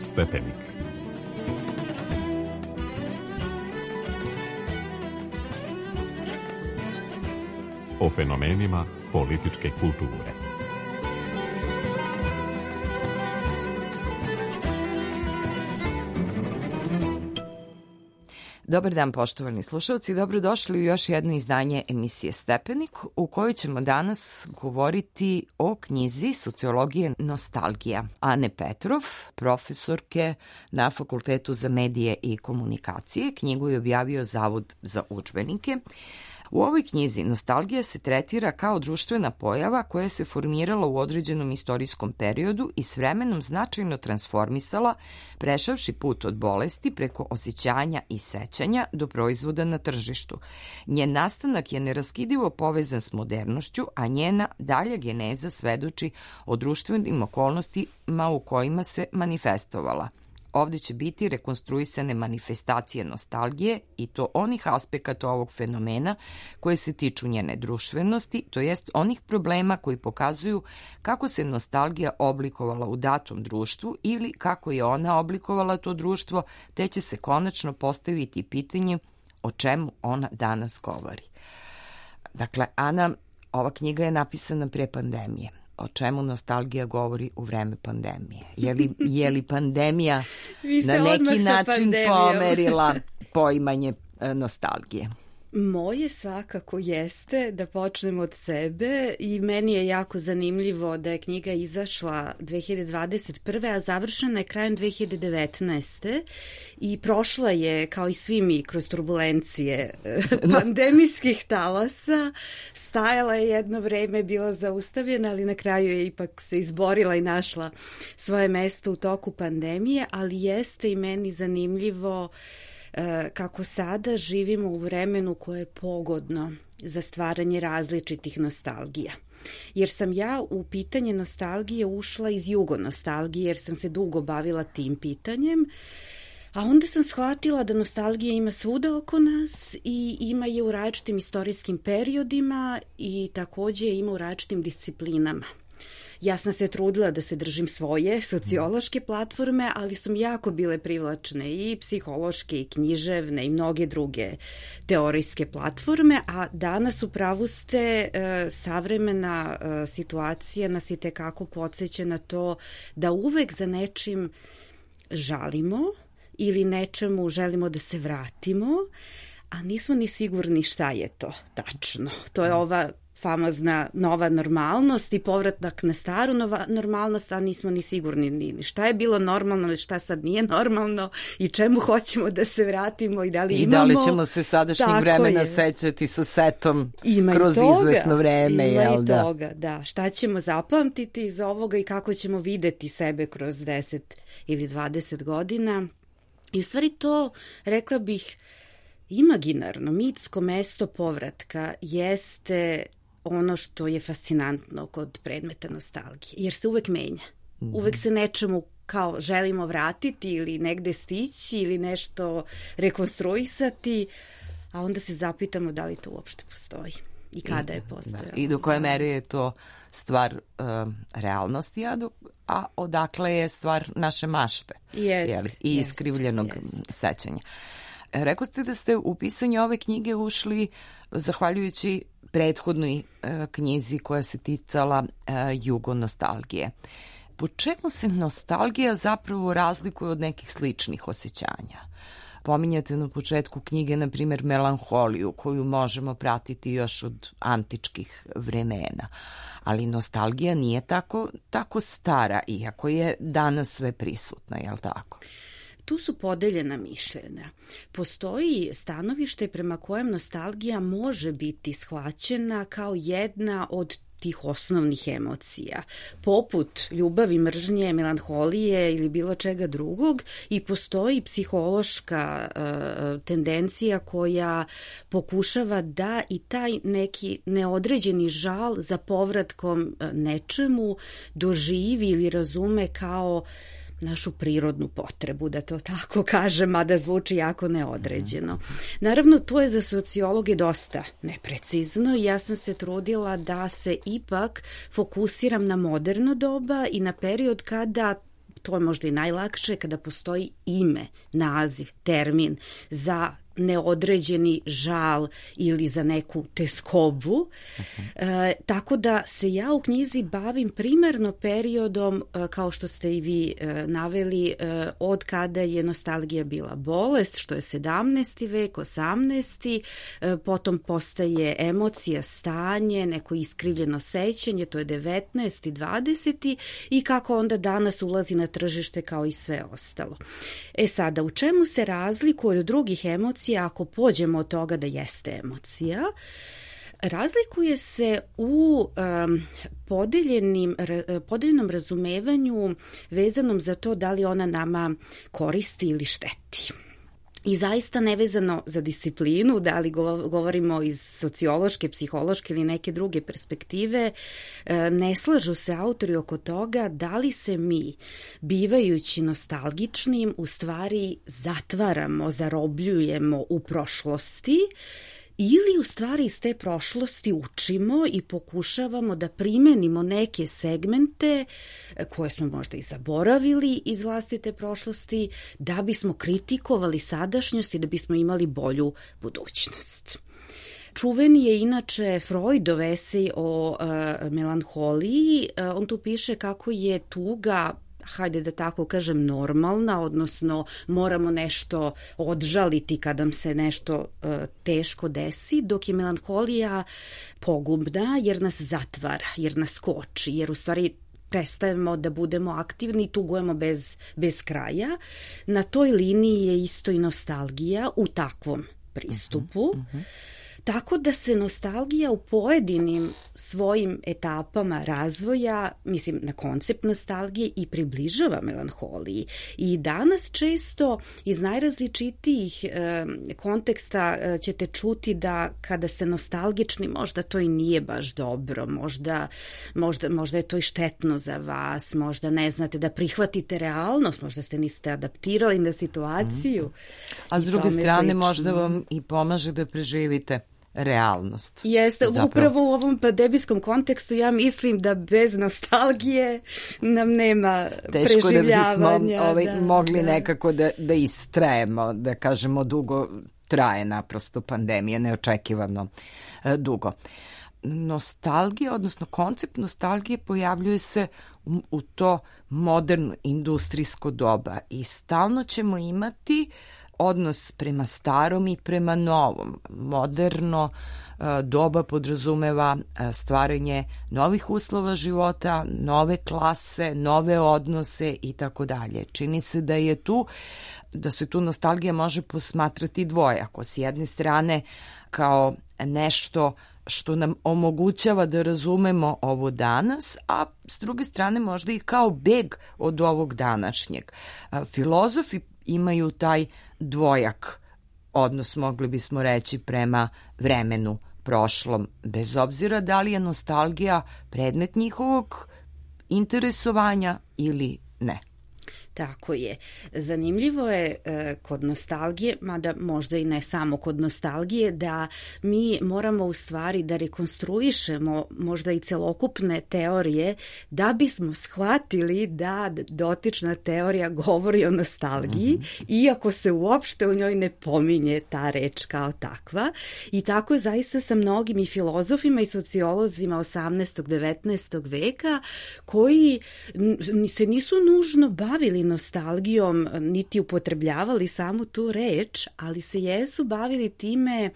Stepenik. O fenomenima političke kulture. Dobar dan, poštovani slušalci, dobrodošli u još jedno izdanje emisije Stepenik, u kojoj ćemo danas govoriti o knjizi Sociologije nostalgija Ane Petrov, profesorke na Fakultetu za medije i komunikacije. Knjigu je objavio Zavod za udžbenike. U ovoj knjizi nostalgija se tretira kao društvena pojava koja se formirala u određenom istorijskom periodu i s vremenom značajno transformisala, prešavši put od bolesti preko osjećanja i sećanja do proizvoda na tržištu. Njen nastanak je neraskidivo povezan s modernošću, a njena dalja geneza svedoči o društvenim okolnostima u kojima se manifestovala. Ovde će biti rekonstruisane manifestacije nostalgije i to onih aspekata ovog fenomena koje se tiču njene društvenosti, to jest onih problema koji pokazuju kako se nostalgija oblikovala u datom društvu ili kako je ona oblikovala to društvo, te će se konačno postaviti pitanje o čemu ona danas govori. Dakle, Ana, ova knjiga je napisana pre pandemije. O čemu nostalgija govori u vreme pandemije? Je li pandemija na neki način pomerila poimanje nostalgije? Moje svakako jeste, da počnemo od sebe, i meni je jako zanimljivo da je knjiga izašla 2021. a završena je krajem 2019. i prošla je, kao i svi mi, kroz turbulencije pandemijskih talasa. Stajala je jedno vreme, bila zaustavljena, ali na kraju je ipak se izborila i našla svoje mesto u toku pandemije, ali jeste i meni zanimljivo kako sada živimo u vremenu koje je pogodno za stvaranje različitih nostalgija. Jer sam ja u pitanje nostalgije ušla iz jugonostalgije, jer sam se dugo bavila tim pitanjem, a onda sam shvatila da nostalgija ima svuda oko nas i ima je u različitim istorijskim periodima i takođe ima u različitim disciplinama. Ja sam se trudila da se držim svoje sociološke platforme, ali su mi jako bile privlačne i psihološke i književne i mnoge druge teorijske platforme, a danas upravo ste savremena situacija nas i tekako podsjeća na to da uvek za nečim žalimo ili nečemu želimo da se vratimo, a nismo ni sigurni šta je to tačno. To je ova famozna nova normalnost i povratak na staru normalnost, a nismo ni sigurni ni šta je bilo normalno ili šta sad nije normalno i čemu hoćemo da se vratimo i da li imamo. I da li ćemo se sadašnjeg vremena sećati sa setom kroz izvesno vreme. Ima i toga, da. Šta ćemo zapamtiti iz ovoga i kako ćemo videti sebe kroz 10 ili 20 godina. I u stvari to, rekla bih, imaginarno, mitsko mesto povratka jeste ono što je fascinantno kod predmeta nostalgije, jer se uvek menja. Uvek se nečemu kao želimo vratiti ili negde stići ili nešto rekonstruisati, a onda se zapitamo da li to uopšte postoji i kada je postojalo. I do koje mere je to stvar realnosti, a odakle je stvar naše mašte i iskrivljenog sećanja. Rekao ste da ste u pisanje ove knjige ušli zahvaljujući prethodnoj knjizi koja se ticala jugonostalgije. Po čemu se nostalgija zapravo razlikuje od nekih sličnih osjećanja? Pominjate na početku knjige, na primjer, melanholiju, koju možemo pratiti još od antičkih vremena. Ali nostalgija nije tako stara, iako je danas sve prisutna, je li tako? Tu su podeljena mišljenja. Postoji stanovište prema kojem nostalgija može biti shvaćena kao jedna od tih osnovnih emocija, poput ljubavi, mržnje, melanholije ili bilo čega drugog, i postoji psihološka tendencija koja pokušava da i taj neki neodređeni žal za povratkom nečemu doživi ili razume kao našu prirodnu potrebu, da to tako kažem, mada zvuči jako neodređeno. Naravno, to je za sociologe dosta neprecizno i ja sam se trudila da se ipak fokusiram na moderno doba i na period kada to je možda i najlakše kada postoji ime, naziv, termin za neodređeni žal ili za neku teskobu. Tako da se ja u knjizi bavim primarno periodom, kao što ste i vi naveli, od kada je nostalgija bila bolest, što je 17. vek, 18. Potom postaje emocija, stanje, neko iskrivljeno sećanje, to je 19. 20. i kako onda danas ulazi na tržište kao i sve ostalo. Sada, u čemu se razlikuje od drugih emocija ako pođemo od toga da jeste emocija? Razlikuje se u podeljenom razumevanju vezanom za to da li ona nama koristi ili šteti. I zaista nevezano za disciplinu, da li govorimo iz sociološke, psihološke ili neke druge perspektive, ne slažu se autori oko toga da li se mi, bivajući nostalgičnim, u stvari zatvaramo, zarobljujemo u prošlosti, ili u stvari iz te prošlosti učimo i pokušavamo da primenimo neke segmente koje smo možda i zaboravili iz vlastite prošlosti, da bismo kritikovali sadašnjost i da bismo imali bolju budućnost. Čuveni je inače Freudov esej o melanholiji. On tu piše kako je tuga, hajde da tako kažem, normalna, odnosno moramo nešto odžaliti kada nam se nešto teško desi, dok je melanholija pogubna jer nas zatvara, jer nas koči, jer u stvari prestajemo da budemo aktivni i tugujemo bez kraja. Na toj liniji je isto i nostalgija u takvom pristupu. Tako da se nostalgija u pojedinim svojim etapama razvoja, mislim na koncept nostalgije, i približava melanholiji. I danas često iz najrazličitijih konteksta ćete čuti da kada ste nostalgični možda to i nije baš dobro, možda je to i štetno za vas, možda ne znate da prihvatite realnost, možda ste niste adaptirali na situaciju. A s druge strane možda vam i pomaže da preživite realnost. Jeste, upravo u ovom pandemijskom kontekstu ja mislim da bez nostalgije nam nema preživljavanja. Teško da bismo mogli nekako da istrajemo, da kažemo dugo traje naprosto pandemija, neočekivano dugo. Nostalgija, odnosno koncept nostalgije pojavljuje se u to moderno industrijsko doba i stalno ćemo imati odnos prema starom i prema novom. Moderno doba podrazumeva stvaranje novih uslova života, nove klase, nove odnose i tako dalje. Čini se da se tu nostalgija može posmatrati dvojako. S jedne strane kao nešto što nam omogućava da razumemo ovo danas, a s druge strane možda i kao beg od ovog današnjeg. Filozofi imaju taj dvojak odnos, mogli bismo reći, prema vremenu prošlom, bez obzira da li je nostalgija predmet njihovog interesovanja ili ne. Tako je. Zanimljivo je kod nostalgije, mada možda i ne samo kod nostalgije, da mi moramo u stvari da rekonstruišemo možda i celokupne teorije da bismo shvatili da dotična teorija govori o nostalgiji, iako se uopšte u njoj ne pominje ta reč kao takva. I tako je zaista sa mnogim i filozofima i sociolozima 18. 19. veka koji se nisu nužno bavili nostalgijom, niti upotrebljavali samu tu reč, ali se jesu bavili time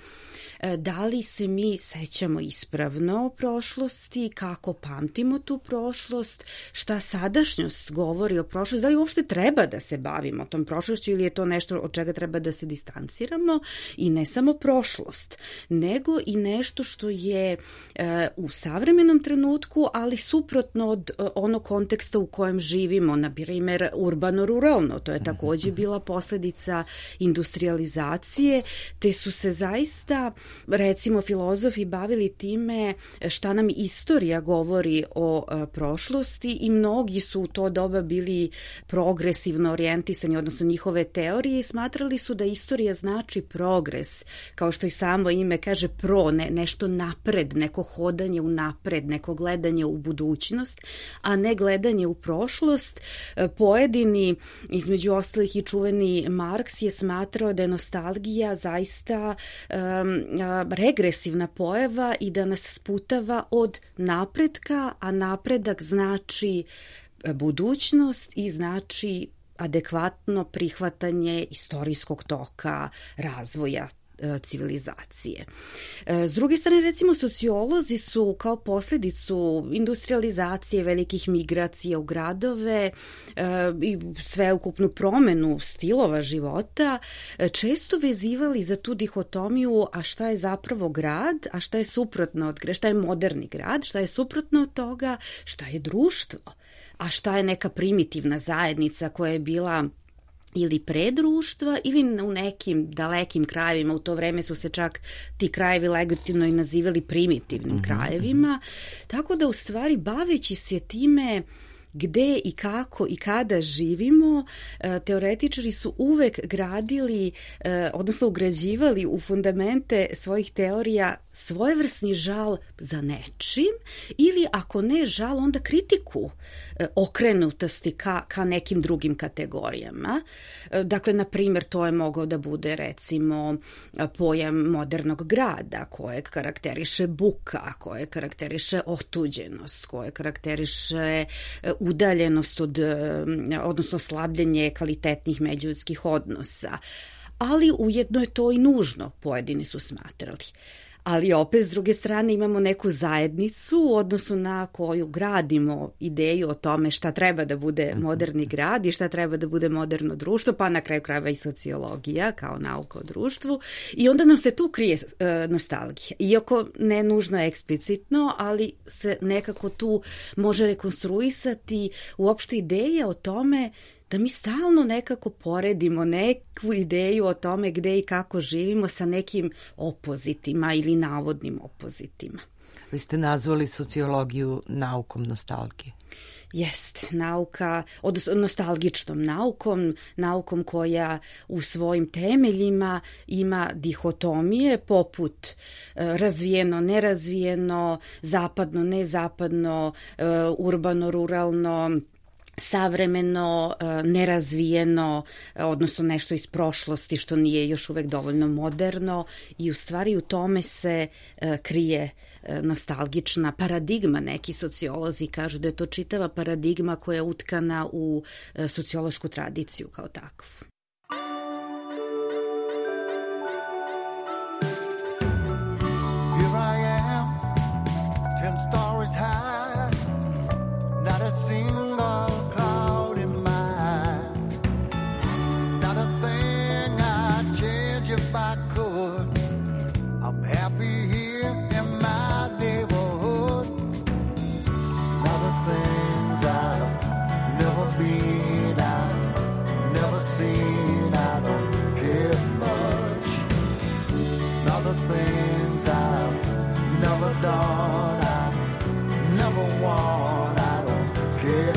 da li se mi sećamo ispravno o prošlosti, kako pamtimo tu prošlost, šta sadašnjost govori o prošlosti, da li uopšte treba da se bavimo tom prošlošću ili je to nešto od čega treba da se distanciramo, i ne samo prošlost, nego i nešto što je u savremenom trenutku, ali suprotno od onog konteksta u kojem živimo, na primjer urbano-ruralno. To je takođe bila posledica industrializacije, te su se zaista, recimo, filozofi bavili time šta nam istorija govori o prošlosti i mnogi su u to doba bili progresivno orijentisani, odnosno njihove teorije, i smatrali su da istorija znači progres, kao što i samo ime kaže nešto napred, neko hodanje u napred, neko gledanje u budućnost, a ne gledanje u prošlost. Pojedini, između ostalih i čuveni Marks, je smatrao da je nostalgija zaista regresivna pojava i da nas sputava od napretka, a napredak znači budućnost i znači adekvatno prihvatanje istorijskog toka razvoja civilizacije. S druge strane, recimo, sociolozi su kao posledicu industrializacije, velikih migracija u gradove i sveukupnu promenu stilova života često vezivali za tu dihotomiju, a šta je zapravo grad, a šta je suprotno od grada, šta je moderni grad, šta je suprotno od toga, šta je društvo, a šta je neka primitivna zajednica koja je bila ili pre društva ili u nekim dalekim krajevima. U to vreme su se čak ti krajevi legitimno i nazivali primitivnim krajevima. Tako da, u stvari, baveći se time gde i kako i kada živimo, teoretičari su uvek gradili, odnosno ugrađivali u fundamente svojih teorija svojevrsni žal za nečim ili, ako ne žal, onda kritiku okrenutosti ka nekim drugim kategorijama. Dakle, na primjer, to je mogao da bude, recimo, pojam modernog grada, kojeg karakteriše buka, kojeg karakteriše otuđenost, kojeg karakteriše udaljenost odnosno slabljenje kvalitetnih međuljudskih odnosa. Ali ujedno je to i nužno, pojedini su smatrali. Ali opet, s druge strane, imamo neku zajednicu u odnosu na koju gradimo ideju o tome šta treba da bude moderni grad i šta treba da bude moderno društvo, pa na kraju krajeva i sociologija kao nauka o društvu. I onda nam se tu krije nostalgija. Iako ne nužno eksplicitno, ali se nekako tu može rekonstruisati uopšte ideja o tome da mi stalno nekako poredimo neku ideju o tome gde i kako živimo sa nekim opozitima ili navodnim opozitima. Vi ste nazvali sociologiju naukom nostalgije. Jest, nauka, odnosno nostalgičnom naukom koja u svojim temeljima ima dihotomije poput razvijeno, nerazvijeno, zapadno, nezapadno, urbano, ruralno, savremeno, nerazvijeno, odnosno nešto iz prošlosti što nije još uvek dovoljno moderno, i u stvari u tome se krije nostalgična paradigma. Neki sociolozi kažu da je to čitava paradigma koja je utkana u sociološku tradiciju kao takvu. Here I am, 10 stories high, not a single cloud in my eye, not a thing I'd change if I could. I'm happy here in my neighborhood. Not the things I've never been, I've never seen, I don't care much. Not the things I've never done, I've never won, I don't care.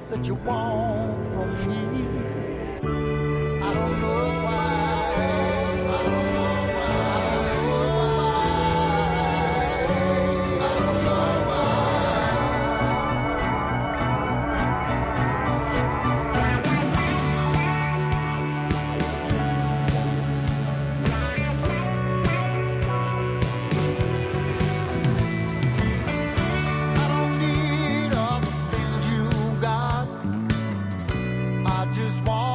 That you want from me, I don't know why, I don't know why, I don't know I don't need all the things you got. I just want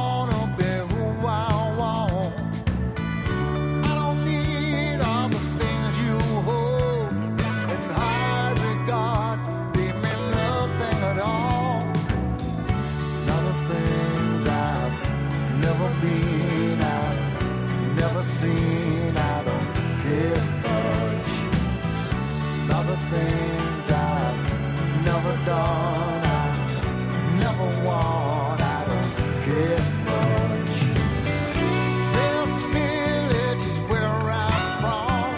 never done. I never want, I don't care much. This village is where I'm from.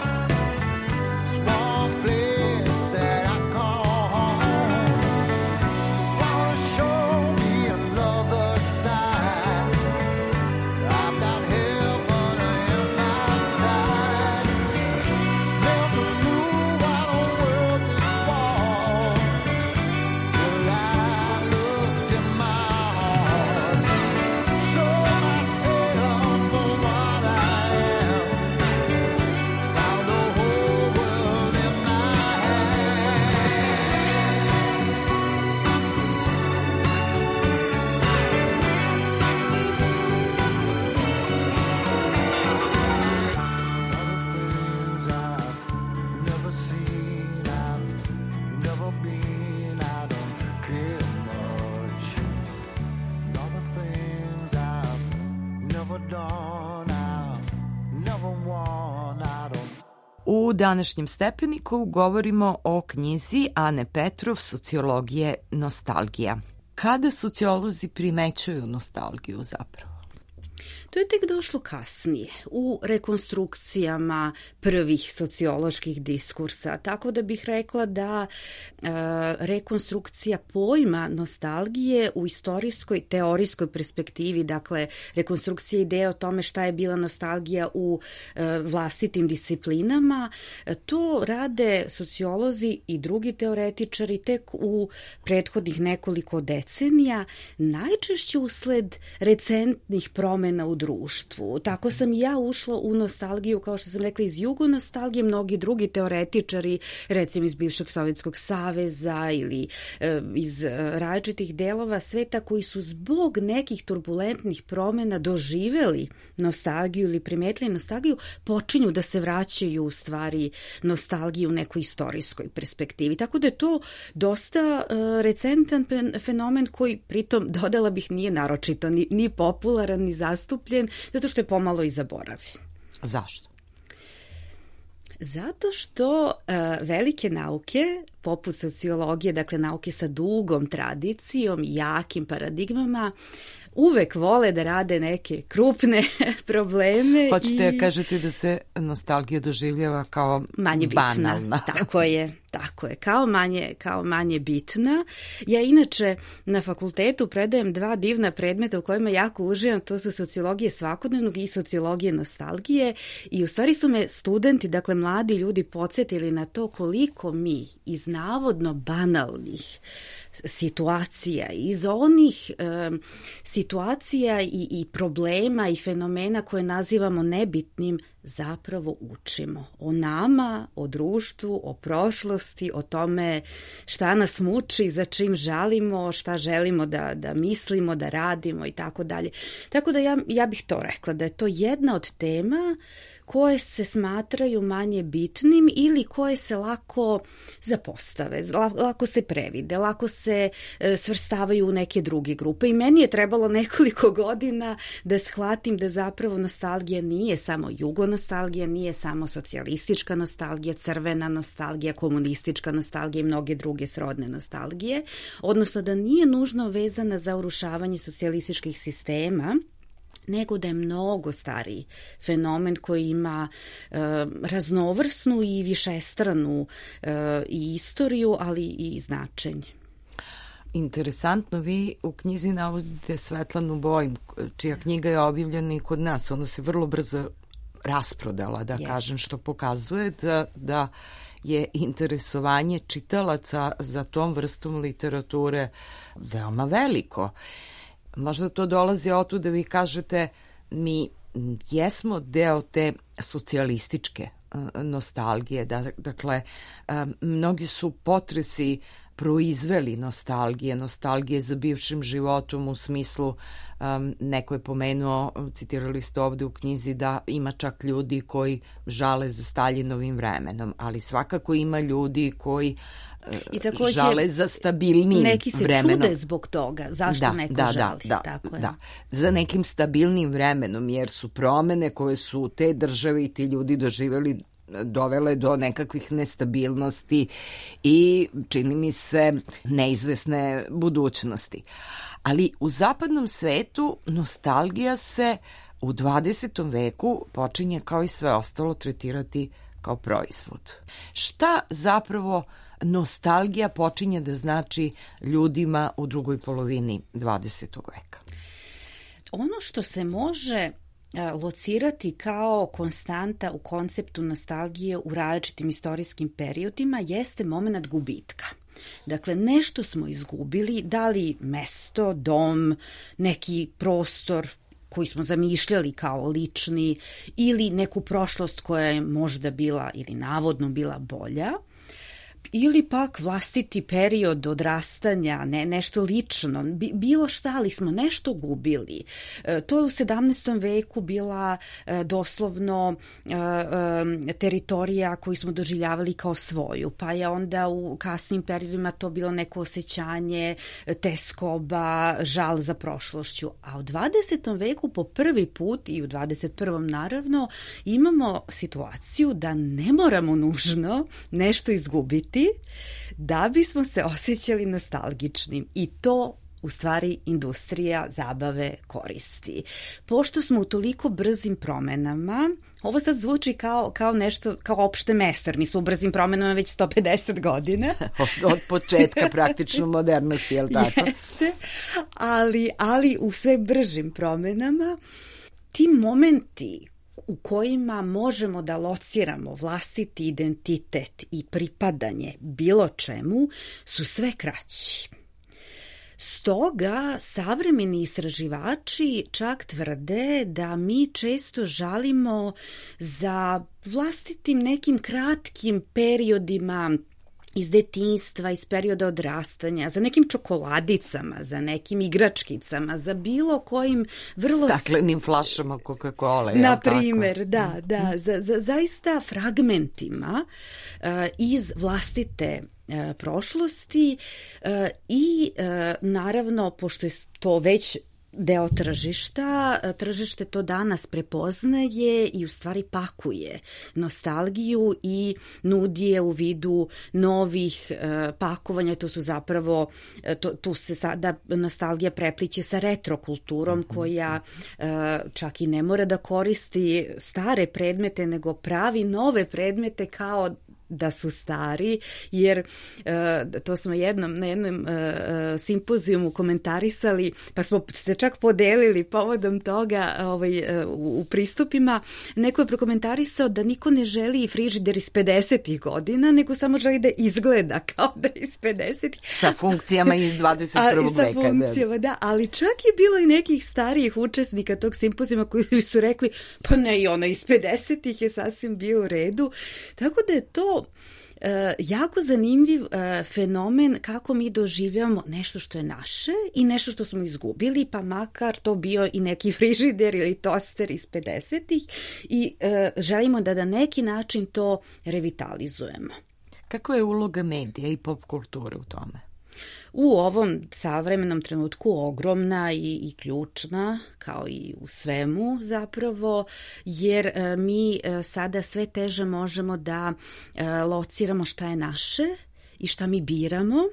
Small place that I call home. Wanna show me another side. I've got heaven in my sight. Never knew what a world this was till I looked in my heart. Sold myself for what I am. Found the whole world in my Other things I've never seen, I've never been, I don't care much. Other things I've never done, I'll never want, I don't. U današnjem stepeniku govorimo o knjizi Ane Petrov Sociologije nostalgija. Kada sociolozi primećuju nostalgiju zapravo? To je tek došlo kasnije, u rekonstrukcijama prvih socioloških diskursa, tako da bih rekla da rekonstrukcija pojma nostalgije u istorijskoj, teorijskoj perspektivi, dakle rekonstrukcija ideje o tome šta je bila nostalgija u vlastitim disciplinama, to rade sociolozi i drugi teoretičari tek u prethodnih nekoliko decenija, najčešće usled recentnih promena u društvu. Tako sam i ja ušla u nostalgiju, kao što sam rekla, iz jugonostalgije, mnogi drugi teoretičari, recimo iz bivšeg Sovjetskog saveza ili iz različitih delova sveta koji su zbog nekih turbulentnih promena doživeli nostalgiju ili primetili nostalgiju, počinju da se vraćaju u stvari nostalgiju u nekoj istorijskoj perspektivi. Tako da je to dosta recentan fenomen koji pritom, dodala bih, nije naročito ni popularan, ni zastupljen, zato što je pomalo i zaboravljen. Zašto? Zato što velike nauke, poput sociologije, dakle nauke sa dugom tradicijom, jakim paradigmama, uvek vole da rade neke krupne probleme. Hoćete da kažete da se nostalgija doživljava kao manje bitna. Banalna. Tako je, kao manje bitna. Ja inače na fakultetu predajem 2 divna predmeta u kojima jako uživam, to su sociologije svakodnevnog i sociologije nostalgije, i u stvari su me studenti, dakle mladi ljudi, podsjetili na to koliko mi iz navodno banalnih situacija, iz onih situacija i problema i fenomena koje nazivamo nebitnim, zapravo učimo o nama, o društvu, o prošlosti, o tome šta nas muči, za čim žalimo, šta želimo da mislimo, da radimo i tako dalje. Tako da ja bih to rekla, da je to jedna od tema koje se smatraju manje bitnim ili koje se lako zapostave, lako se previde, lako se svrstavaju u neke druge grupe. I meni je trebalo nekoliko godina da shvatim da zapravo nostalgija nije samo jugonostalgija, nije samo socijalistička nostalgija, crvena nostalgija, komunistička nostalgija i mnoge druge srodne nostalgije, odnosno da nije nužno vezana za urušavanje socijalističkih sistema, nego da je mnogo stariji fenomen koji ima raznovrsnu i višestranu i istoriju, ali i značenje. Interesantno, vi u knjizi navodite Svetlanu Bojim, čija knjiga je objavljena i kod nas. Ona se vrlo brzo rasprodala, da kažem, što pokazuje da je interesovanje čitalaca za tom vrstom literature veoma veliko. Možda to dolazi od tu da vi kažete mi jesmo deo te socijalističke nostalgije. Dakle, mnogi su potresi proizveli nostalgije za bivšim životom u smislu, neko je pomenuo, citirali ste ovde u knjizi, da ima čak ljudi koji žale za Staljinovim vremenom, ali svakako ima ljudi koji žale za stabilnijim vremenom. Neki se čude zbog toga, zašto neko žali. Tako je. Da, za nekim stabilnim vremenom, jer su promene koje su te države i ti ljudi doživjeli dovele do nekakvih nestabilnosti i, čini mi se, neizvesne budućnosti. Ali u zapadnom svetu nostalgija se u 20. veku počinje kao i sve ostalo tretirati kao proizvod. Šta zapravo nostalgija počinje da znači ljudima u drugoj polovini 20. veka? Ono što se može locirati kao konstanta u konceptu nostalgije u različitim istorijskim periodima jeste moment gubitka. Dakle, nešto smo izgubili, da li mesto, dom, neki prostor koji smo zamišljali kao lični ili neku prošlost koja je možda bila ili navodno bila bolja, ili pak vlastiti period odrastanja, nešto lično, bilo šta, ali smo nešto gubili. To je u 17. veku bila doslovno teritorija koju smo doživljavali kao svoju, pa je onda u kasnim periodima to bilo neko osjećanje teskoba, žal za prošlošću. A u 20. veku po prvi put i u 21. naravno imamo situaciju da ne moramo nužno nešto izgubiti da bismo se osjećali nostalgičnim i to u stvari industrija zabave koristi. Pošto smo u toliko brzim promenama, ovo sad zvuči kao nešto, kao opšte mesto, jer mi smo u brzim promenama već 150 godina. Od početka praktično modernosti, je li tako? Jeste, ali u sve bržim promenama ti momenti u kojima možemo da lociramo vlastiti identitet i pripadanje bilo čemu su sve kraći. Stoga savremeni istraživači čak tvrde da mi često žalimo za vlastitim nekim kratkim periodima iz detinjstva, iz perioda odrastanja, za nekim čokoladicama, za nekim igračkicama, za bilo kojim vrlo... Staklenim flašama Coca-Cola, na primer, da, za zaista fragmentima iz vlastite prošlosti i naravno, pošto je to već deo tržišta, tržište to danas prepoznaje i u stvari pakuje nostalgiju i nudi je u vidu novih pakovanja, to su zapravo, tu se sada nostalgija prepliće sa retrokulturom koja čak i ne mora da koristi stare predmete, nego pravi nove predmete kao da su stari, jer to smo na jednom simpozijumu komentarisali, pa smo se čak podelili povodom toga u pristupima. Neko je prokomentarisao da niko ne želi frižider iz 50. godina, nego samo želi da izgleda kao da je iz 50. Sa funkcijama iz 21. veka. Sa funkcijama, da, ali čak je bilo i nekih starijih učesnika tog simpozijuma koji su rekli, pa ne, i ono iz 50. je sasvim bio u redu. Tako da je to jako zanimljiv fenomen kako mi doživljamo nešto što je naše i nešto što smo izgubili, pa makar to bio i neki frižider ili toster iz 50-ih i želimo da na neki način to revitalizujemo. Kakva je uloga medija i pop kulture u tome? U ovom savremenom trenutku ogromna i ključna, kao i u svemu zapravo, jer mi sada sve teže možemo da lociramo šta je naše i šta mi biramo,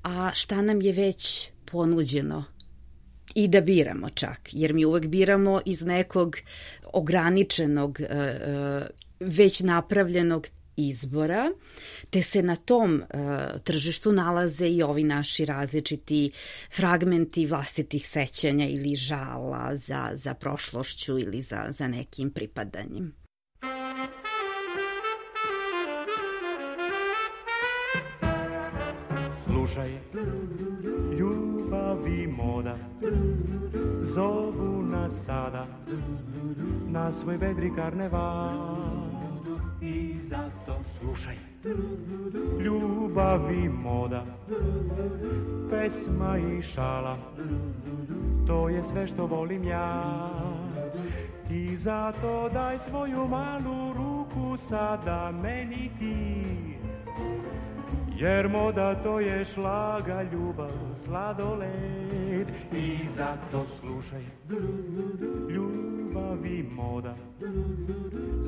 a šta nam je već ponuđeno i da biramo čak, jer mi uvek biramo iz nekog ograničenog, već napravljenog izbora, te se na tom tržištu nalaze i ovi naši različiti fragmenti vlastitih sećanja ili žala za prošlošću ili za nekim pripadanjem. Slušaj, ljubav i moda zovu nas sada na svoj vedri karneval. I zato slušaj, ljubav i moda, pesma i šala, to je sve što volim ja. I zato daj svoju malu ruku sada meni ti, jer moda to je šlaga, ljubav, sladoled. I zato slušaj, ljubav ljubav i moda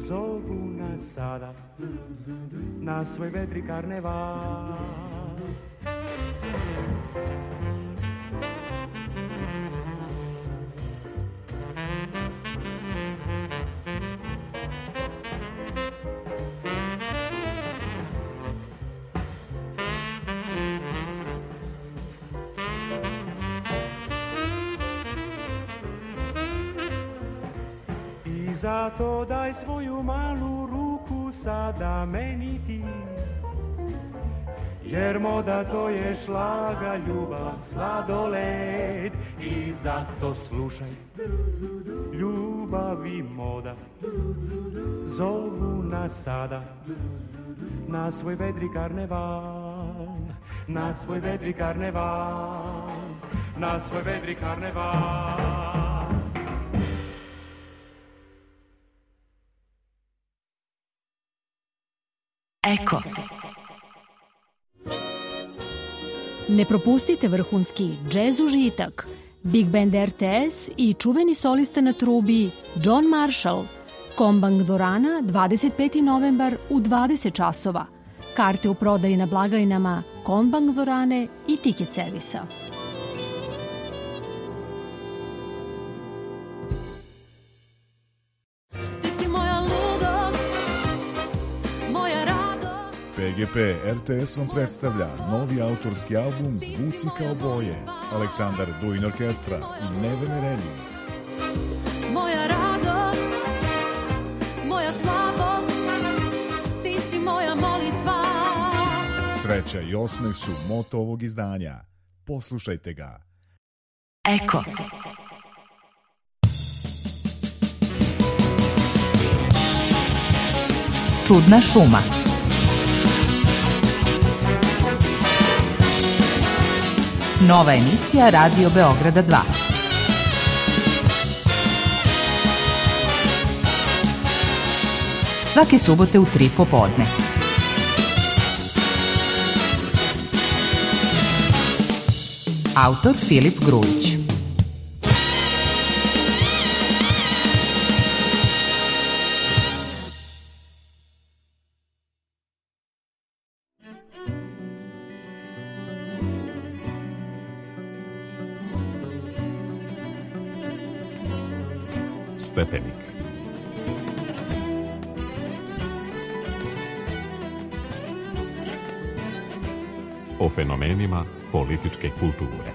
zovu nas sada na svoj vedri karneval. Zato daj svoju malu ruku sada meni ti, jer moda to je šlaga, ljubav, sladoled. I zato slušaj, ljubav i moda zovu nas sada na svoj vedri karneval, na svoj vedri karneval, na svoj vedri karneval. Eko. Ne propustite vrhunski džez užitak, Big Band RTS i čuveni solista na trubi John Marshall. Kombang dvorana 25. novembar u 20 časova. Karte u prodaji na blagajnama Kombang dvorane i Ticket servisa. PGP RTS vam predstavlja novi autorski album Zvuci kao boje, Aleksandar Duin Orkestra i Nevene Relji. Moja radost, moja slabost, ti si moja molitva. Sreća i osmeh su moto ovog izdanja. Poslušajte ga. Eko. Čudna šuma. Nova emisija Radio Beograda 2. Svake subote u 3 popodne. Autor Filip Grujić. Stepenik. O fenomenima političke kulture.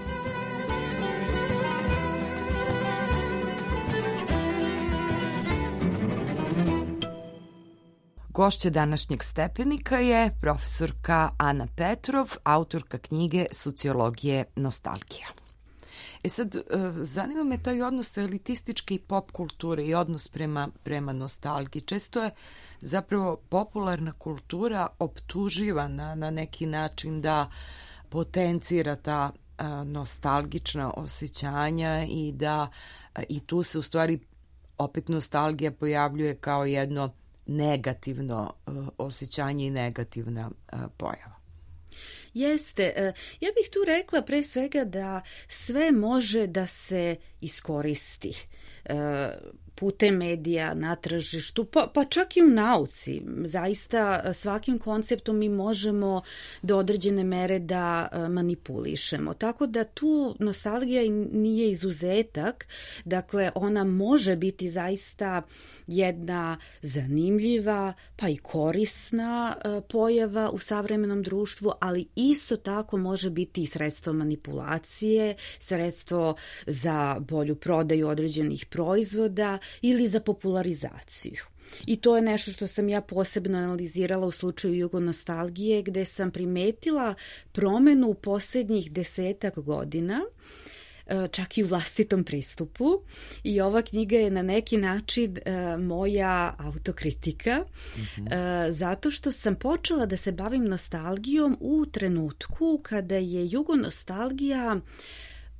Gošća današnjeg Stepenika je profesorka Ana Petrov, autorka knjige Sociologije nostalgija. Sad, zanima me taj odnos elitističke i pop kulture i odnos prema nostalgiji. Često je zapravo popularna kultura optuživana na neki način da potencira ta nostalgična osjećanja i da i tu se u stvari opet nostalgija pojavljuje kao jedno negativno osjećanje i negativna pojava. Jeste. Ja bih tu rekla pre svega da sve može da se iskoristi putem medija, na tržištu, pa čak i u nauci. Zaista svakim konceptom mi možemo do određene mere da manipulišemo. Tako da tu nostalgija nije izuzetak. Dakle, ona može biti zaista jedna zanimljiva pa i korisna pojava u savremenom društvu, ali isto tako može biti i sredstvo manipulacije, sredstvo za bolju prodaju određenih proizvoda ili za popularizaciju. I to je nešto što sam ja posebno analizirala u slučaju jugonostalgije, gde sam primetila promenu u posljednjih 10 godina, čak i u vlastitom pristupu, i ova knjiga je na neki način moja autokritika, zato što sam počela da se bavim nostalgijom u trenutku kada je jugonostalgija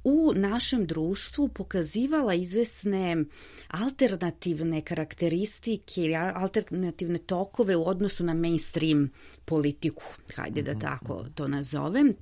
u našem društvu pokazivala izvesne alternativne karakteristike, alternativne tokove u odnosu na mainstream politiku, hajde da tako to nazovem.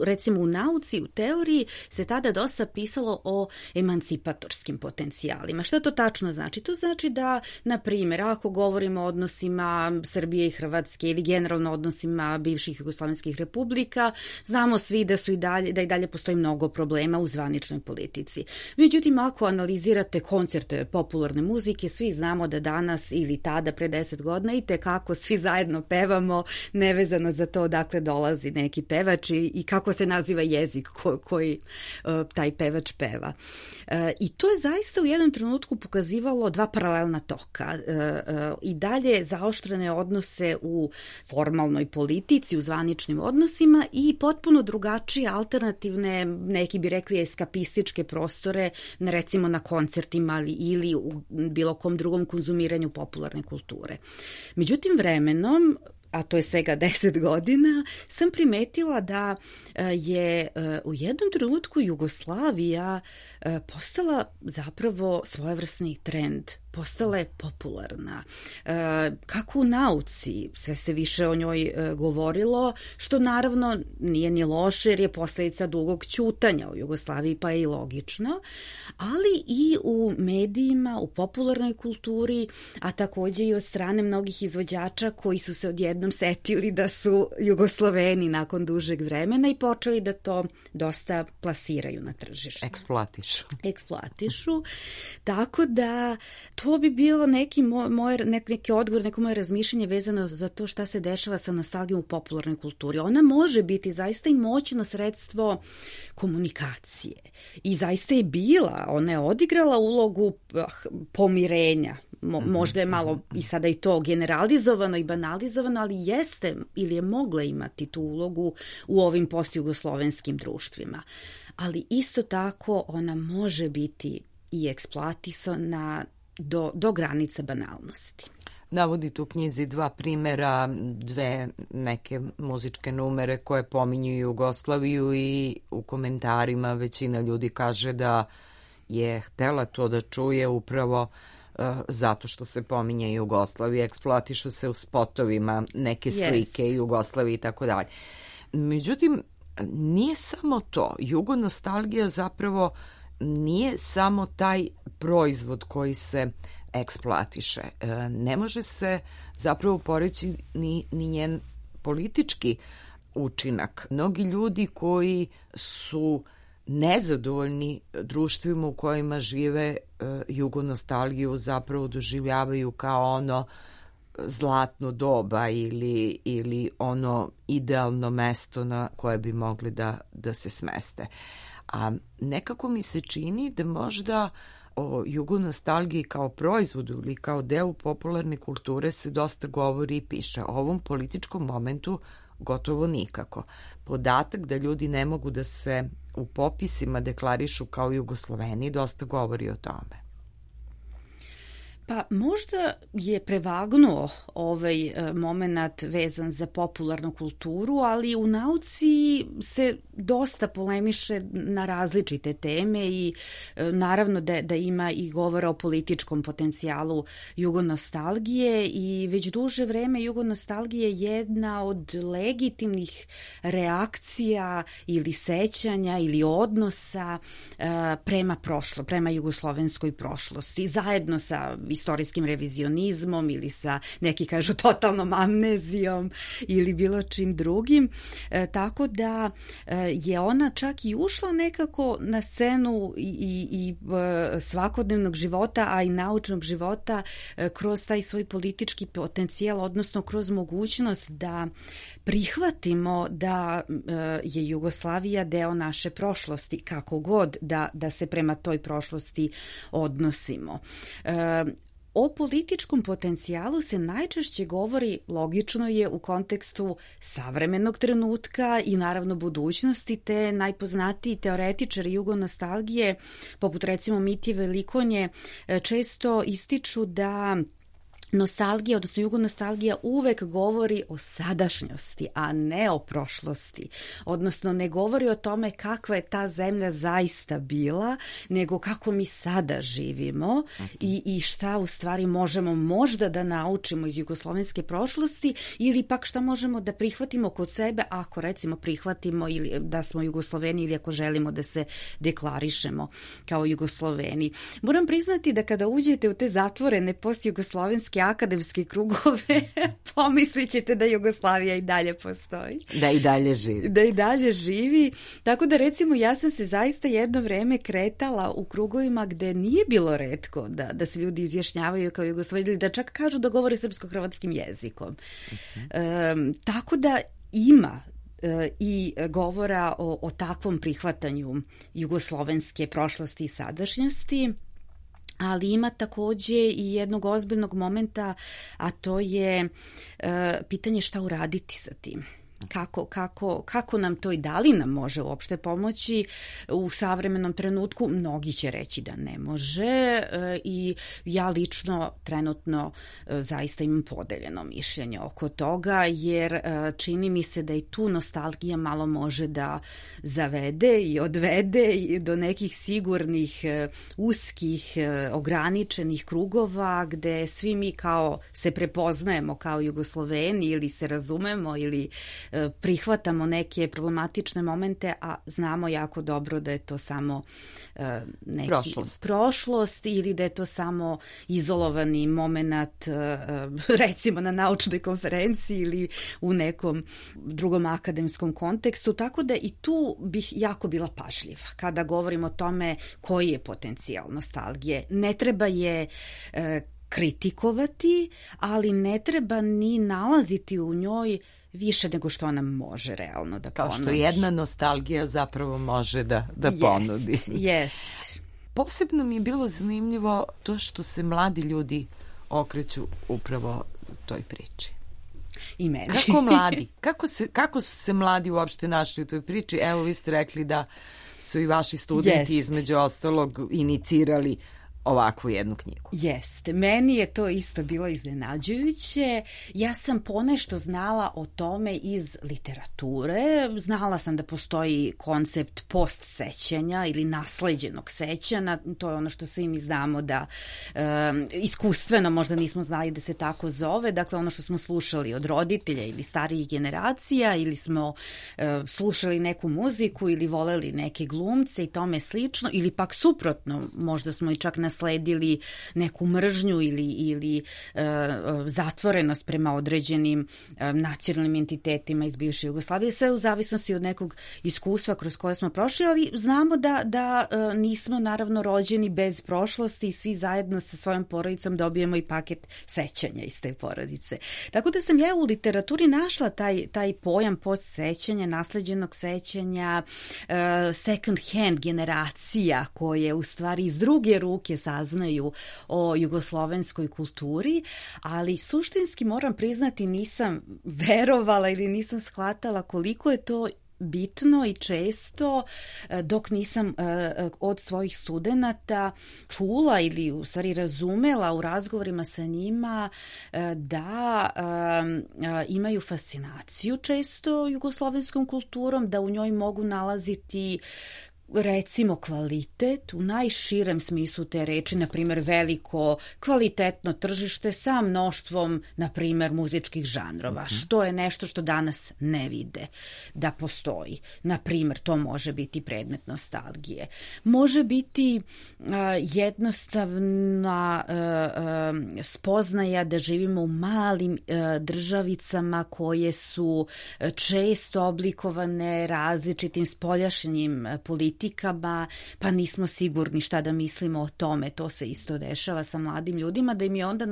recimo u nauci, u teoriji se tada dosta pisalo o emancipatorskim potencijalima. Što to tačno znači? To znači da, na primjer, ako govorimo o odnosima Srbije i Hrvatske ili generalno odnosima bivših jugoslovenskih republika, znamo svi da i dalje postoji mnogo problema u zvaničnoj politici. Međutim, ako analizirate koncerte popularne muzike, svi znamo da danas ili tada pre 10 godina i tekako svi zajedno pevamo, nevezano za to odakle dolazi neki pevač i kako se naziva jezik koji taj pevač peva. I to je zaista u jednom trenutku pokazivalo dva paralelna toka. I dalje zaoštrene odnose u formalnoj politici, u zvaničnim odnosima i potpuno drugačije alternativne, neki bi rekli eskapističke prostore, recimo na koncertima ili u bilo kom drugom konzumiranju popularne kulture. Međutim, vremenom, a to je svega 10 godina, sam primetila da je u jednom trenutku Jugoslavija postala zapravo svojevrsni trend, postala je popularna. Kako u nauci, sve se više o njoj govorilo, što naravno nije ni loše jer je posljedica dugog ćutanja u Jugoslaviji, pa je i logično, ali i u medijima, u popularnoj kulturi, a takođe i od strane mnogih izvođača koji su se odjednom setili da su Jugosloveni nakon dužeg vremena i počeli da to dosta plasiraju na tržištu. Eksploatišu. Tako da to bi bio neki odgovor, neko moje razmišljanje vezano za to šta se dešava sa nostalgijom u popularnoj kulturi. Ona može biti zaista i moćno sredstvo komunikacije. I zaista je bila, ona je odigrala ulogu pomirenja. Možda je malo i sada i to generalizovano i banalizovano, ali jeste ili je mogla imati tu ulogu u ovim postjugoslovenskim društvima. Ali isto tako ona može biti i eksploatisana do granica banalnosti. Navodite u knjizi dva primera, dve neke muzičke numere koje pominju Jugoslaviju i u komentarima većina ljudi kaže da je htela to da čuje upravo zato što se pominje Jugoslavija, eksploatišu se u spotovima neke slike Jugoslavije i tako dalje. Međutim, nije samo to. Jugonostalgija zapravo nije samo taj proizvod koji se eksploatiše. Ne može se zapravo poreći ni njen politički učinak. Mnogi ljudi koji su nezadovoljni društvima u kojima žive jugonostalgiju zapravo doživljavaju kao ono zlatno doba ili ono idealno mesto na koje bi mogli da se smeste. A nekako mi se čini da možda o jugonostalgiji kao proizvodu ili kao delu popularne kulture se dosta govori i piše. O ovom političkom momentu gotovo nikako. Podatak da ljudi ne mogu da se u popisima deklarišu kao Jugosloveni dosta govori o tome. Pa možda je prevagnuo ovaj moment vezan za popularnu kulturu, ali u nauci se dosta polemiše na različite teme i naravno da ima i govora o političkom potencijalu jugonostalgije i već duže vreme jugonostalgija je jedna od legitimnih reakcija ili sećanja ili odnosa prema jugoslovenskoj prošlosti, zajedno sa istorijskim revizionizmom ili sa, neki kažu, totalnom amnezijom ili bilo čim drugim. Tako da je ona čak i ušla nekako na scenu i svakodnevnog života, a i naučnog života kroz taj svoj politički potencijal, odnosno kroz mogućnost da prihvatimo da je Jugoslavija deo naše prošlosti, kako god da se prema toj prošlosti odnosimo. O političkom potencijalu se najčešće govori, logično je, u kontekstu savremenog trenutka i naravno budućnosti, te najpoznatiji teoretičari jugonostalgije, poput recimo Mitje Velikonje, često ističu da nostalgija, odnosno jugonostalgija uvek govori o sadašnjosti, a ne o prošlosti. Odnosno ne govori o tome kakva je ta zemlja zaista bila, nego kako mi sada živimo i šta u stvari možemo možda da naučimo iz jugoslovenske prošlosti ili pak šta možemo da prihvatimo kod sebe ako recimo prihvatimo ili da smo Jugosloveni ili ako želimo da se deklarišemo kao Jugosloveni. Moram priznati da kada uđete u te zatvorene postjugoslovenske akademske krugove, pomislit ćete da Jugoslavija i dalje postoji. Da i dalje živi. Da i dalje živi. Tako da recimo ja sam se zaista jedno vreme kretala u krugovima gde nije bilo retko da se ljudi izjašnjavaju kao Jugoslaveni ili da čak kažu da govore srpsko-hrvatskim jezikom. Tako da ima i govora o takvom prihvatanju jugoslovenske prošlosti i sadašnjosti, ali ima takođe i jednog ozbiljnog momenta, a to je pitanje šta uraditi sa tim. Kako nam to i da li nam može uopšte pomoći u savremenom trenutku? Mnogi će reći da ne može i ja lično trenutno zaista imam podeljeno mišljenje oko toga, jer čini mi se da i tu nostalgija malo može da zavede i odvede do nekih sigurnih, uskih, ograničenih krugova gde svi mi kao se prepoznajemo kao Jugosloveni ili se razumemo ili prihvatamo neke problematične momente, a znamo jako dobro da je to samo neki prošlost ili da je to samo izolovani moment recimo na naučnoj konferenciji ili u nekom drugom akademskom kontekstu, tako da i tu bih jako bila pažljiva kada govorim o tome koji je potencijal nostalgije. Ne treba je kritikovati, ali ne treba ni nalaziti u njoj više nego što ona može realno da ponudi. Kao što jedna nostalgija zapravo može da ponudi. Jest. Posebno mi je bilo zanimljivo to što se mladi ljudi okreću upravo toj priči. I meni. Kako mladi? Kako su se mladi uopšte našli u toj priči? Evo, vi ste rekli da su i vaši studenti između ostalog inicirali ovakvu jednu knjigu. Jeste. Meni je to isto bilo iznenađujuće. Ja sam ponešto znala o tome iz literature. Znala sam da postoji koncept postsećanja ili nasleđenog sećanja. To je ono što svi mi znamo da iskustveno možda nismo znali da se tako zove. Dakle, ono što smo slušali od roditelja ili starijih generacija ili smo slušali neku muziku ili voleli neke glumce i tome slično ili pak suprotno, možda smo i čak nasledili neku mržnju ili zatvorenost prema određenim nacionalnim entitetima iz bivše Jugoslavije, sve u zavisnosti od nekog iskustva kroz koje smo prošli, ali znamo da nismo naravno rođeni bez prošlosti i svi zajedno sa svojom porodicom dobijemo i paket sećanja iz te porodice. Tako da sam ja u literaturi našla taj pojam postsećanja, nasleđenog sećanja, second hand generacija koje u stvari iz druge ruke saznaju o jugoslovenskoj kulturi, ali suštinski moram priznati nisam verovala ili nisam shvatala koliko je to bitno i često dok nisam od svojih studenata čula ili u stvari razumela u razgovorima sa njima da imaju fascinaciju često jugoslovenskom kulturom, da u njoj mogu nalaziti recimo kvalitet u najširem smislu te reči, na primjer veliko kvalitetno tržište sa mnoštvom, na primjer, muzičkih žanrova, što je nešto što danas ne vide da postoji. Na primjer, to može biti predmet nostalgije. Može biti jednostavna spoznaja da živimo u malim državicama koje su često oblikovane različitim spoljašnjim politikama, pa nismo sigurni šta da mislimo o tome. To se isto dešava sa mladim ljudima, da im je onda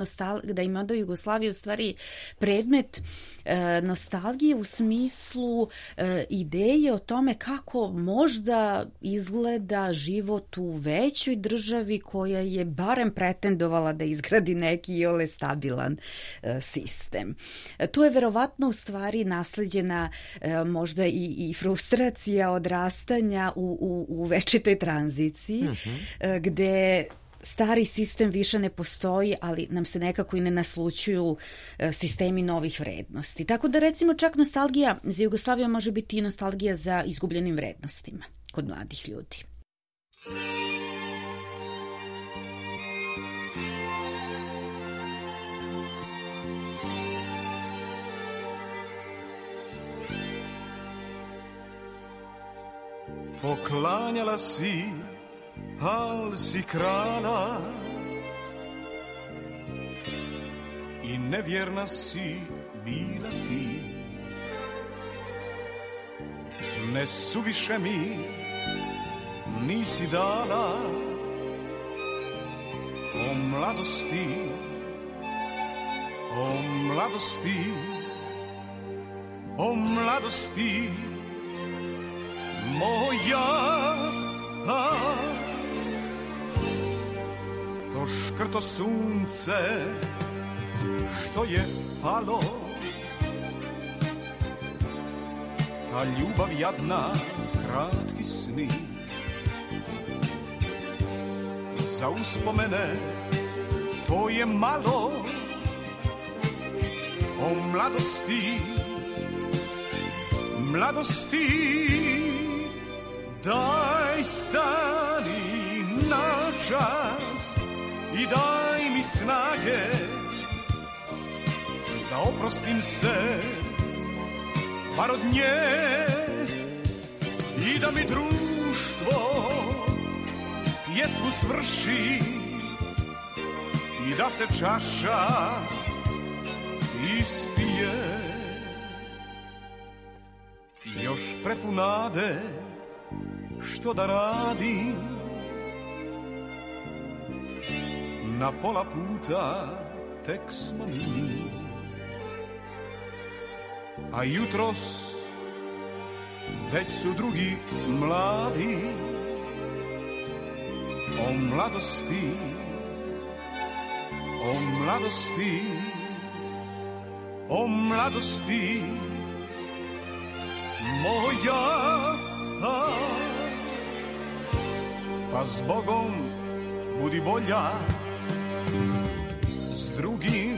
Jugoslavija u stvari predmet nostalgije u smislu ideje o tome kako možda izgleda život u većoj državi koja je barem pretendovala da izgradi neki iole stabilan sistem. To je verovatno u stvari nasleđena možda i frustracija odrastanja u večitoj tranziciji, gde stari sistem više ne postoji, ali nam se nekako i ne naslućuju sistemi novih vrednosti. Tako da recimo čak nostalgija za Jugoslaviju može biti i nostalgija za izgubljenim vrednostima kod mladih ljudi. Poklanjala si, al si krala i nevjerna si bila ti. Ne suviše mi nisi dala o mladosti, o mladosti, o mladosti moja. To škrto sunce što je palo, ta ljubav jadna, kratki sni, za uspomene to je malo. O mladosti, mladosti, daj stani na čas i daj mi snage da oprostim se bar od nje i da mi društvo pjesmu svrši i da se čaša ispije. Još prepunade što da radim, na pola puta tek smo mi, a jutros već su drugi mladi. O mladosti, o mladosti, o mladosti moja. Pa s Bogom budi bolja s drugim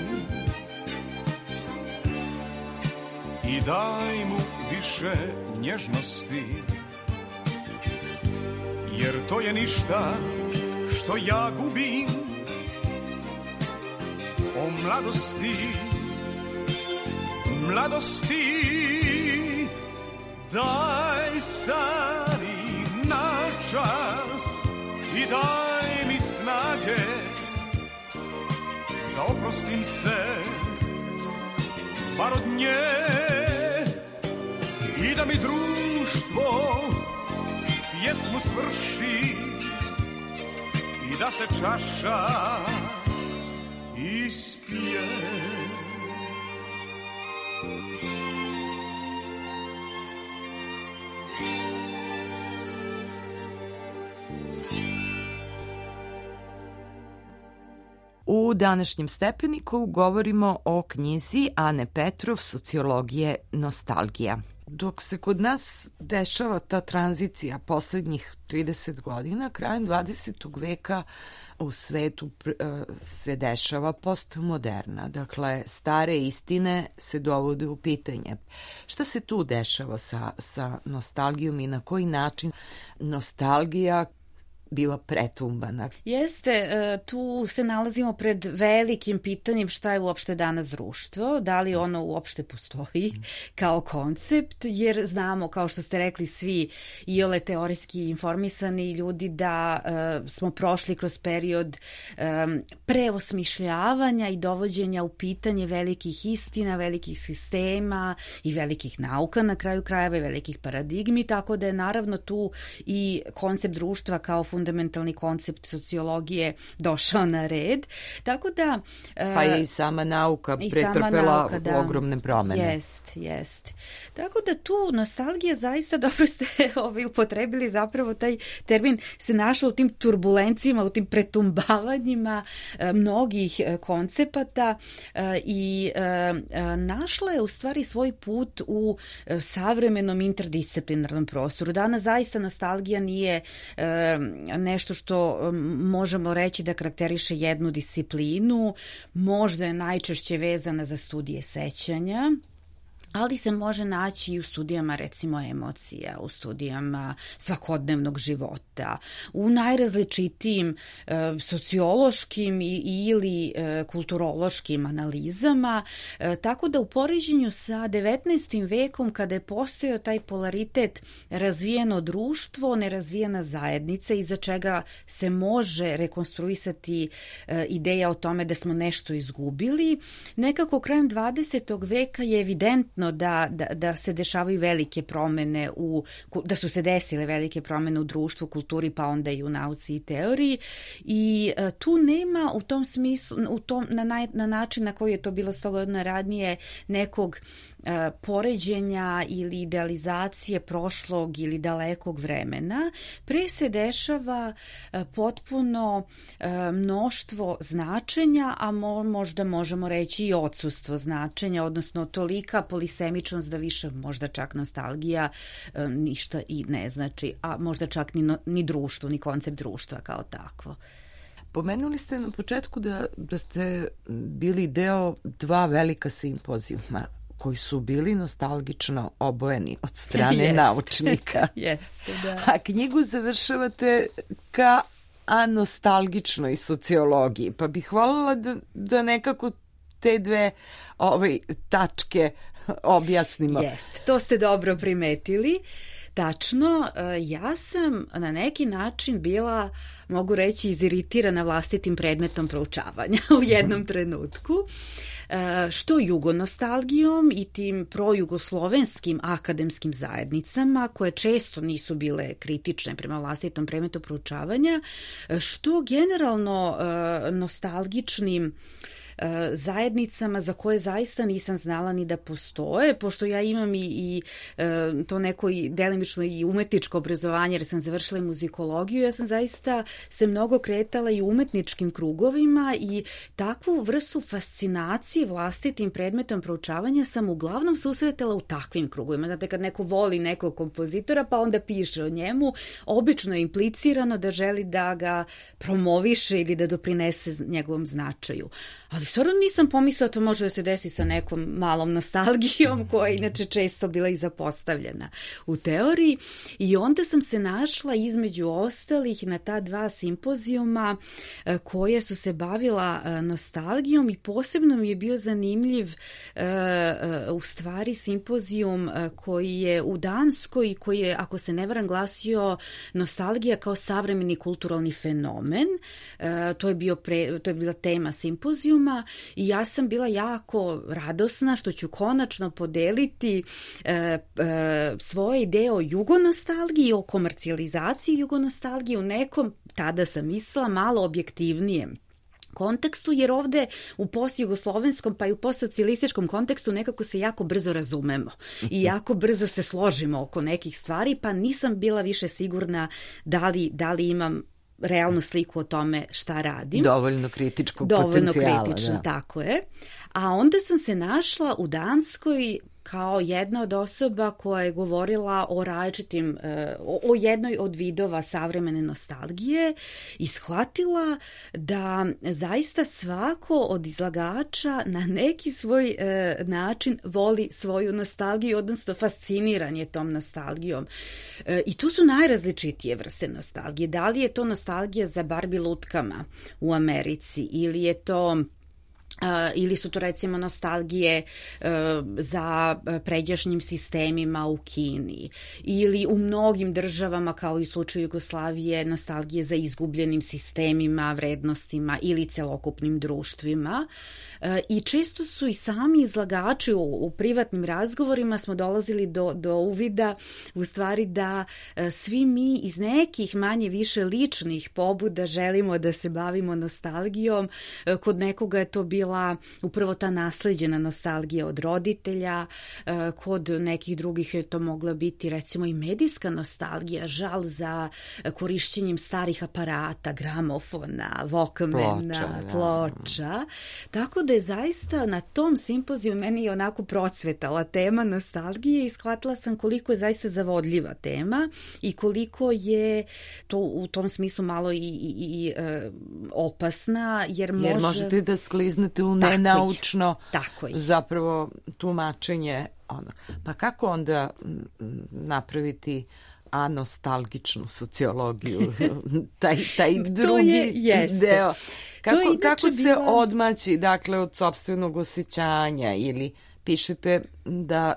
i daj mu više nježnosti, jer to je ništa što ja gubim. O mladosti, mladosti, daj stani na čas i daj mi snage da oprostim se bar od nje i da mi društvo pjesmu svrši i da se čaša ispije. U današnjem Stepeniku govorimo o knjizi Ane Petrov Sociologije nostalgija. Dok se kod nas dešava ta tranzicija poslednjih 30 godina, krajem 20. veka u svetu se dešava postmoderna. Dakle, stare istine se dovode u pitanje. Šta se tu dešava sa nostalgijom i na koji način nostalgija biva pretumbana? Jeste, tu se nalazimo pred velikim pitanjem šta je uopšte danas društvo, da li ono uopšte postoji kao koncept, jer znamo, kao što ste rekli svi iole teorijski informisani ljudi, da smo prošli kroz period preosmišljavanja i dovođenja u pitanje velikih istina, velikih sistema i velikih nauka na kraju krajeva i velikih paradigmi, tako da je naravno tu i koncept društva kao fundamentalni koncept sociologije došao na red. Tako da... Pa je i sama nauka pretrpela ogromne promene. Jest. Tako da tu nostalgija, zaista dobro ste upotrebili, zapravo taj termin se našao u tim turbulencijama, u tim pretumbavanjima mnogih koncepata i našla je u stvari svoj put u savremenom interdisciplinarnom prostoru. Danas zaista nostalgija nije nešto što možemo reći da karakteriše jednu disciplinu, možda je najčešće vezana za studije sećanja, ali se može naći i u studijama recimo emocija, u studijama svakodnevnog života, u najrazličitijim sociološkim ili kulturološkim analizama, tako da u poređenju sa 19. vekom kada je postojao taj polaritet razvijeno društvo, nerazvijena zajednica iza čega se može rekonstruisati ideja o tome da smo nešto izgubili, nekako krajem 20. veka je evidentno da se dešavaju velike promene da su se desile velike promene u društvu, kulturi, pa onda i u nauci i teoriji i tu nema u tom smislu, na način na koji je to bilo 100 godina ranije nekog poređenja ili idealizacije prošlog ili dalekog vremena, pre se dešava potpuno mnoštvo značenja, a možda možemo reći i odsustvo značenja, odnosno tolika polisemičnost da više možda čak nostalgija ništa i ne znači, a možda čak ni društvo, ni koncept društva kao takvo. Pomenuli ste na početku da ste bili deo 2 velika simpozijuma koji su bili nostalgično obojeni od strane naučnika. Jeste, da. A knjigu završavate ka anostalgičnoj sociologiji, pa bih voljela da nekako te dve tačke objasnimo. Jeste, to ste dobro primetili. Tačno, ja sam na neki način bila, mogu reći, iziritirana vlastitim predmetom proučavanja u jednom trenutku, što jugonostalgijom i tim projugoslovenskim akademskim zajednicama, koje često nisu bile kritične prema vlastitom predmetu proučavanja, što generalno nostalgičnim zajednicama za koje zaista nisam znala ni da postoje, pošto ja imam i to neko delimično i umetničko obrazovanje, jer sam završila i muzikologiju, ja sam zaista se mnogo kretala i u umetničkim krugovima i takvu vrstu fascinacije vlastitim predmetom proučavanja sam uglavnom susretala u takvim krugovima. Znate, kad neko voli nekog kompozitora pa onda piše o njemu, obično je implicirano da želi da ga promoviše ili da doprinese njegovom značaju. Ali stvarno nisam pomislila to može da se desi sa nekom malom nostalgijom koja je inače često bila i zapostavljena u teoriji i onda sam se našla između ostalih na ta 2 simpozijuma koje su se bavila nostalgijom i posebno mi je bio zanimljiv u stvari simpozijum koji je u Danskoj, koji je, ako se ne varam, glasio nostalgija kao savremeni kulturalni fenomen. To je bila tema simpozijuma i ja sam bila jako radosna što ću konačno podeliti svoje ideje o jugonostalgiji, o komercijalizaciji jugonostalgije u nekom, tada sam mislila, malo objektivnijem kontekstu, jer ovde u postjugoslovenskom pa i u postsocijalističkom kontekstu nekako se jako brzo razumemo i jako brzo se složimo oko nekih stvari, pa nisam bila više sigurna da li imam realnu sliku o tome šta radim. Dovoljno kritičkog potencijala. Dovoljno kritično, tako je. A onda sam se našla u Danskoj kao jedna od osoba koja je govorila o različitim, o jednoj od vidova savremene nostalgije i shvatila da zaista svako od izlagača na neki svoj način voli svoju nostalgiju, odnosno fasciniran je tom nostalgijom. I tu su najrazličitije vrste nostalgije. Da li je to nostalgija za Barbie lutkama u Americi ili su to recimo nostalgije za pređašnjim sistemima u Kini ili u mnogim državama kao i u slučaju Jugoslavije nostalgije za izgubljenim sistemima, vrednostima ili celokupnim društvima i često su i sami izlagači u privatnim razgovorima smo dolazili do uvida u stvari da svi mi iz nekih manje više ličnih pobuda želimo da se bavimo nostalgijom. Kod nekoga je to bila bila upravo ta nasleđena nostalgija od roditelja, kod nekih drugih je to mogla biti recimo i medijska nostalgija, žal za korišćenjem starih aparata, gramofona, Walkmana, ploča. Tako da je zaista na tom simpoziju meni je onako procvetala tema nostalgije i shvatila sam koliko je zaista zavodljiva tema i koliko je to u tom smislu malo i opasna, jer možete da skliznete u nenaučno zapravo tumačenje. Pa kako onda napraviti anostalgičnu sociologiju, taj drugi deo? Kako se odmaći, dakle, od sopstvenog osjećanja, ili pišete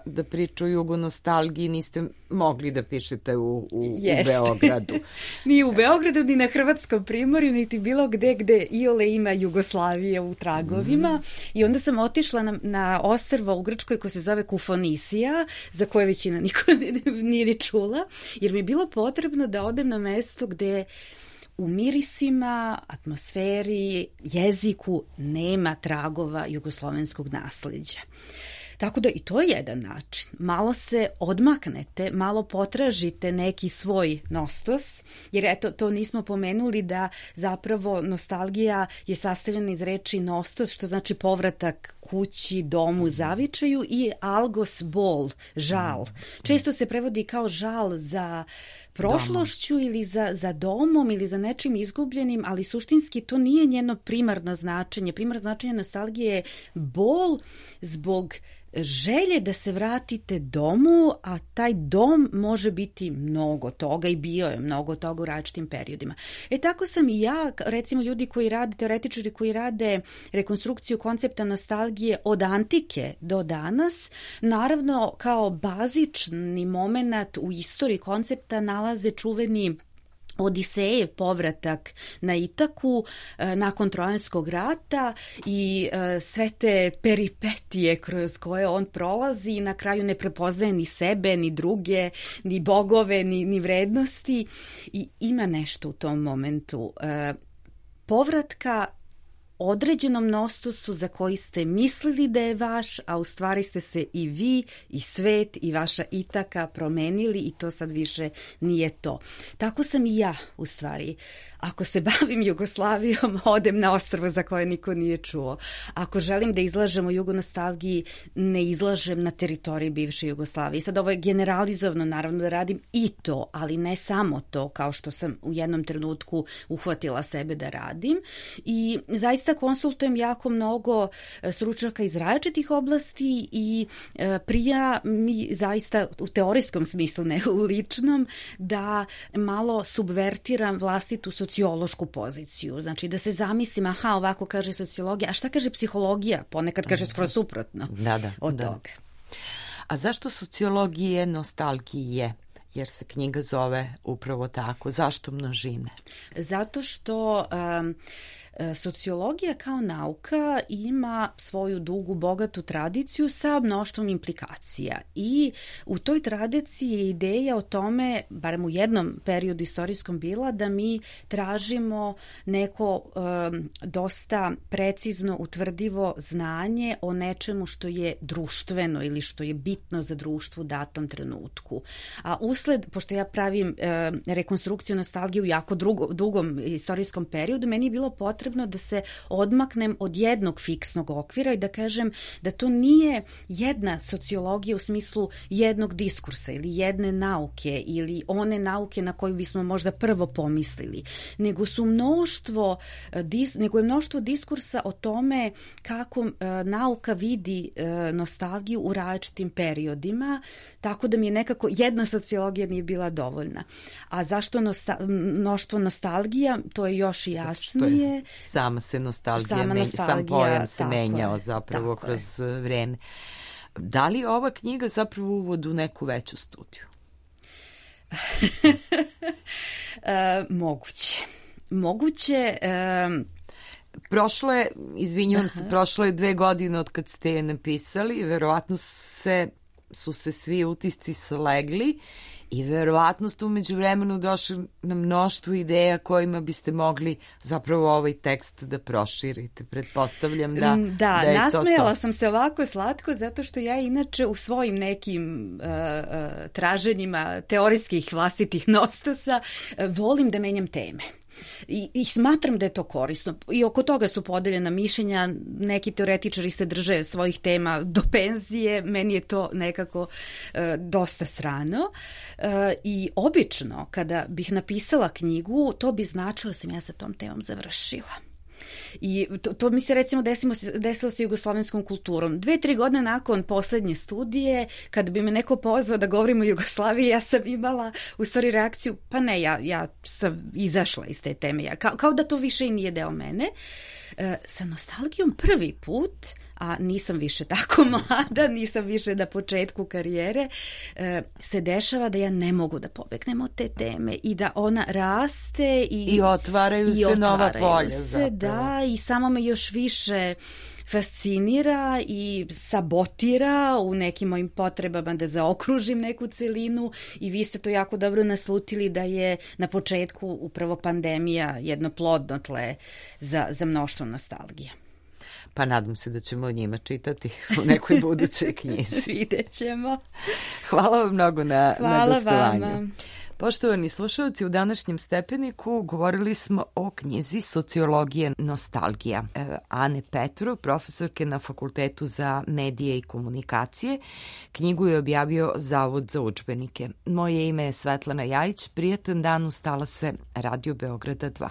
da priču o jugonostalgiji niste mogli da pišete u Beogradu. Ni u Beogradu, ni na Hrvatskom primorju, niti bilo gde iole ima Jugoslavije u tragovima. I onda sam otišla na ostrvo u Grčkoj koje se zove Kufonisija, za koje većina niko nije ni čula, jer mi je bilo potrebno da odem na mesto gde u mirisima, atmosferi, jeziku nema tragova jugoslovenskog nasleđa. Tako da i to je jedan način. Malo se odmaknete, malo potražite neki svoj nostos, jer eto, to nismo pomenuli da zapravo nostalgija je sastavljena iz reči nostos, što znači povratak kući, domu, zavičaju, i algos, bol, žal. Često se prevodi kao žal za prošlošću ili za domom ili za nečim izgubljenim, ali suštinski to nije njeno primarno značenje. Primarno značenje nostalgije je bol zbog želje da se vratite domu, a taj dom može biti mnogo toga i bio je mnogo toga u različitim periodima. Tako sam i ja, recimo ljudi koji rade, teoretičari koji rade rekonstrukciju koncepta nostalgije od antike do danas, naravno kao bazični moment u istoriji koncepta nalaze čuveni Odisejev povratak na Itaku nakon Trojanskog rata i sve te peripetije kroz koje on prolazi i na kraju ne prepoznaje ni sebe, ni druge, ni bogove, ni vrednosti, i ima nešto u tom momentu povratka određenom nostosu za koji ste mislili da je vaš, a u stvari ste se i vi, i svet, i vaša Itaka promenili i to sad više nije to. Tako sam i ja, u stvari. Ako se bavim Jugoslavijom, odem na ostrvo za koje niko nije čuo. Ako želim da izlažem o jugonostalgiji, ne izlažem na teritoriji bivše Jugoslavije. Sad ovo je generalizovano, naravno da radim i to, ali ne samo to, kao što sam u jednom trenutku uhvatila sebe da radim. I zaista konsultujem jako mnogo stručnjaka iz različitih oblasti i prija mi zaista u teorijskom smislu, ne u ličnom, da malo subvertiram vlastitu sociološku poziciju. Znači da se zamislim, aha, ovako kaže sociologija, a šta kaže psihologija? Ponekad kaže skroz suprotno od toga. A zašto sociologije nostalgije? Jer se knjiga zove upravo tako. Zašto množine? Zato što sociologija kao nauka ima svoju dugu, bogatu tradiciju sa mnoštvom implikacija i u toj tradiciji je ideja o tome, barem u jednom periodu istorijskom bila, da mi tražimo neko dosta precizno utvrdivo znanje o nečemu što je društveno ili što je bitno za društvo u datom trenutku. A usled, pošto ja pravim rekonstrukciju nostalgije u jako dugom istorijskom periodu, meni je bilo potrebno da se odmaknem od jednog fiksnog okvira i da kažem da to nije jedna sociologija u smislu jednog diskursa ili jedne nauke ili one nauke na koju bismo možda prvo pomislili, nego je mnoštvo diskursa o tome kako nauka vidi nostalgiju u različitim periodima, tako da mi je nekako jedna sociologija nije bila dovoljna. A zašto mnoštvo nostalgija? To je još i jasnije. Sama se nostalgija, sam pojam se menjao zapravo kroz vreme. Da li ova knjiga zapravo uvod u neku veću studiju? Moguće. Prošlo je 2 godine od kad ste je napisali, verovatno su se svi utisci slegli I verovatno ste umeđu vremenu došli na mnoštvo ideja kojima biste mogli zapravo ovaj tekst da proširite. Pretpostavljam da je to nasmejala sam se ovako slatko zato što ja inače u svojim nekim traženjima teorijskih vlastitih nostosa volim da menjam teme. I smatram da je to korisno. I oko toga su podeljena mišljenja, neki teoretičari se drže svojih tema do penzije, meni je to nekako dosta strano. I obično, kada bih napisala knjigu, to bi značilo da sam ja sa tom temom završila. I to mi se recimo desilo sa jugoslovenskom kulturom. 2-3 godine nakon poslednje studije, kad bi me neko pozvao da govorim o Jugoslaviji, ja sam imala u stvari reakciju, pa ne, ja sam izašla iz te teme, kao da to više i nije deo mene. Sa nostalgijom prvi put, a nisam više tako mlada, nisam više na početku karijere, se dešava da ja ne mogu da pobegnem od te teme i da ona raste i otvaraju se nova polja. Da, i samo me još više fascinira i sabotira u nekim mojim potrebama da zaokružim neku celinu i vi ste to jako dobro naslutili da je na početku upravo pandemija jedno plodno tle za mnoštvo nostalgije. Pa nadam se da ćemo o njima čitati u nekoj budućoj knjizi. Vidjet ćemo. Hvala vam mnogo na gostovanju. Vama. Poštovani slušalci, u današnjem Stepeniku govorili smo o knjizi Sociologije nostalgija Ane Petrov, profesorke na Fakultetu za medije i komunikacije. Knjigu je objavio Zavod za udžbenike. Moje ime je Svetlana Jajić. Prijatan dan, ustala se Radio Beograda 2.